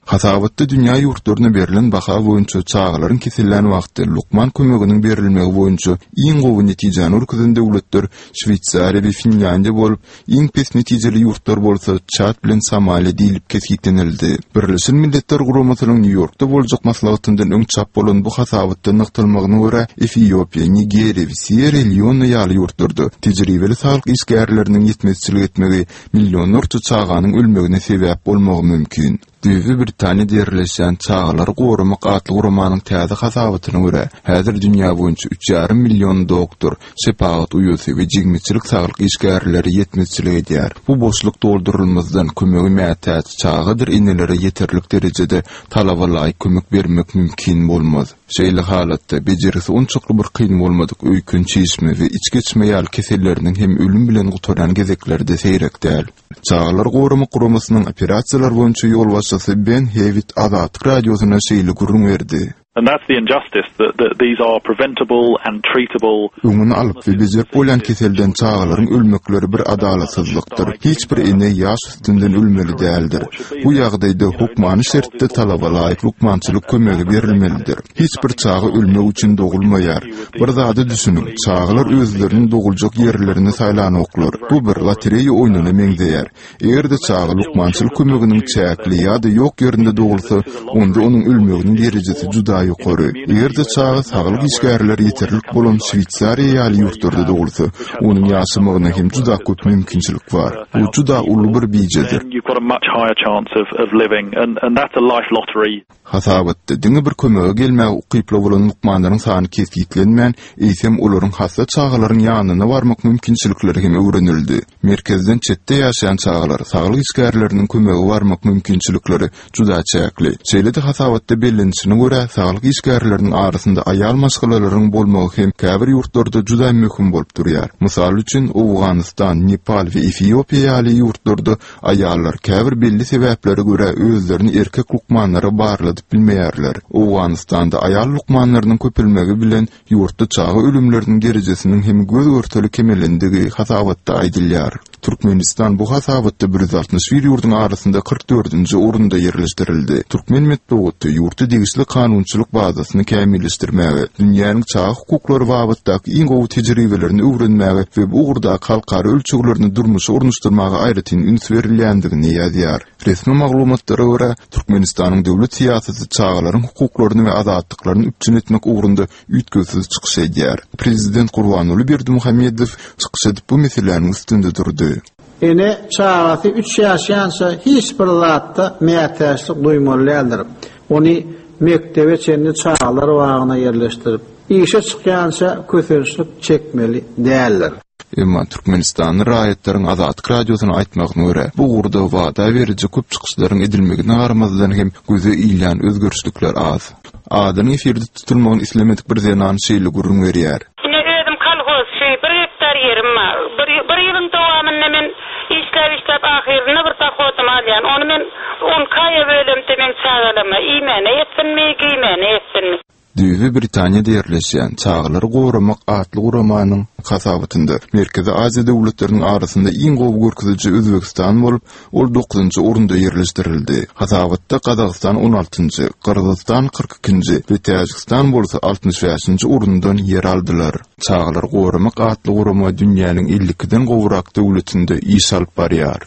Hasabatda dünýä ýurtlaryna berlen baha boýunça çagalaryň kesellän wagty lukman kömeginiň berilmegi boýunça iň gowy netijäni görkezen döwletler Şweýsariýa we Finlýandiýa bolup, iň pes netijeli ýurtlar bolsa Çad bilen Somaliýa diýlip kesgitlenildi. Birleşen Milletler Guramasynyň Nýu-Ýorkda boljak maslahatyndan öň çap bolan bu hasabatda nygtalmagyna görä, Efiopiýa, Nigeriýa we Sýerra-Leone ýaly ýurtlarda tejribeli saglyk işgärleriniň ýetmezçilik etmegi millionlarça çaganyň ölmegine sebäp bolmagy mümkin. Düýbi Britaniýada ýerleşýän Çagalary goramak atly guramanyň täze hasabatyna görä, häzir dünýä boýunça üç ýarym million doktor, şepagat uýasy we jigmeçilik saglyk işgärleri ýetmezçilik edýär. Bu boşluk doldurylmazdan, kömege mätäç çagadyr enelere ýeterlik derejede talaba laýyk kömek bermek mümkin bolmaz. Şeýle halatda, bejergisi onçakly bir kyn bolmadyk öýken çişme we iç geçme ýaly keselleriniň hem ölüm bilen gutarýan gezekleri-de seýrek däl. Çagalary goramak guramasynyň operasiýalar boýunça ýolbaşçysy Ben Hewitt Azatlyk Radiosyna şeýle gürrüň berdi. Öňüni alyp we bejerip bolýan keselden çagalaryň ölmekleri bir adalatsyzlykdyr. Hiç bir ene ýaş üstünden ölmeli däldir. Bu ýagdaýda hökmany şertde talaba laýyk lukmançylyk kömegi berilmelidir. Hiç bir çaga ölmek üçin dogulmaýar. Bir zada düşüniň, çagalar özleriniň doguljak ýerlerini saýlanoklar. Bu bir lotereýa oýnuna meňzeýär. Eger-de çaga lukmançylyk kömeginiň çäkli ýa-da ýok ýerinde dogulsa, onda onuň ölmeginiň derejesi juda ýokary. Eger-de çaga saglyk işgärleri ýeterlik bolan Şweýsariýa ýaly ýurtlarda dogulsa, onuň ýaşamagyna hem juda köp mümkinçilik bar. Bu juda uly bir bijedir. Hasabatda diňe bir kömege gelmäge ukyply bolan lukmanlaryň sany kesgitlenmän, eýsem, olaryň hassa çagalaryň ýanyna barmak mümkinçilikleri hem öwrenildi. Merkezden çetde ýaşaýan çagalar saglyk işgärleriniň kömege barmak mümkinçilikleri juda çäkli. Şeýle-de hasabatda bellenişine görä, saglyk işgärleriniň arasynda aýal maşgalalaryň bolmagy hem käbir ýurtlarda juda möhüm bolup durýar. Mysal üçin, Owganystan, Nepal we Efiopiýa ýaly ýurtlarda Aýallar käbir belli sebäplere görä özlerini erkek lukmanlara barladyp bilmeýärler. Owganystanda aýal lukmanlarynyň köpelmegi bilen ýurtda çaga ölümleriniň derejesiniň hem göz-görtele kemelendigi hasabatda aýdylýar. Türkmenistan bu hasabatda 161 ýurduň arasynda 44 dördünji orunda ýerleşdirildi. Türkmen metbugaty ýurtda degişli kanunçylyk bazasyny kämilleşdirmäge, dünýäniň çaga hukuklary babatdaky iň gowy tejribelerini öwrenmäge we bu ugurdaky halkara ölçeglerini durmuşa ornaşdyrmaga aýratyn üns berilýändigini ýazýar. Resmi maglumatlara görä, Türkmenistanyň döwlet syýasaty çagalaryň hukuklaryny we azatlyklaryny üpjün etmek ugrunda üýtgewsiz çykyş edýär. Prezident Gurbanguly Berdimuhamedow çykyş edip bu meseläniň üstünde durdy. Ene çagasy üç ýaşaýança hiç bir zatda mätäçlik duýmaly däldir. Ony mekdebe çenli çagalar bagyna ýerleşdirip, işe çykýança kösençlik çekmeli däldir. Emma türkmenistanly raýatlaryň Azatlyk Radiosyna aýtmagyna görä, bu ugurda wada beriji köp çykyşlaryň edilmegine garamazdan hem göze ilýän özgerişlikler az. Adynyň efirde tutulmagyny islemedik bir zenan şeýle gürrüň berýär. Ine, özüm kolhozçy, bir gektar ýerim bar. Bir, bir ýylyň dowamynda men işläp-işläp ahyrynda bir dohodymy alýan. Ony men on iki aýa bölemde meň çagalama iýmäne ýetsinmi, geýmäne ýetsinmi? Düýbi Britaniýada ýerleşýän Çagalary goramak atly guramanyň hasabatynda Merkezi Aziýa döwletleriniň arasynda iň gowy görkeziji Özbegistan bolup, ol dokuzynjy orunda ýerleşdirildi. Hasabatda Gazagystan on altynjy, Gyrgyzystan 42 ikinji we Täjigistan bolsa 65-nji orundan ýer aldylar. Çagalary goramak atly gurama dünýäniň 52-den gowrak döwletinde iş alyp barýar.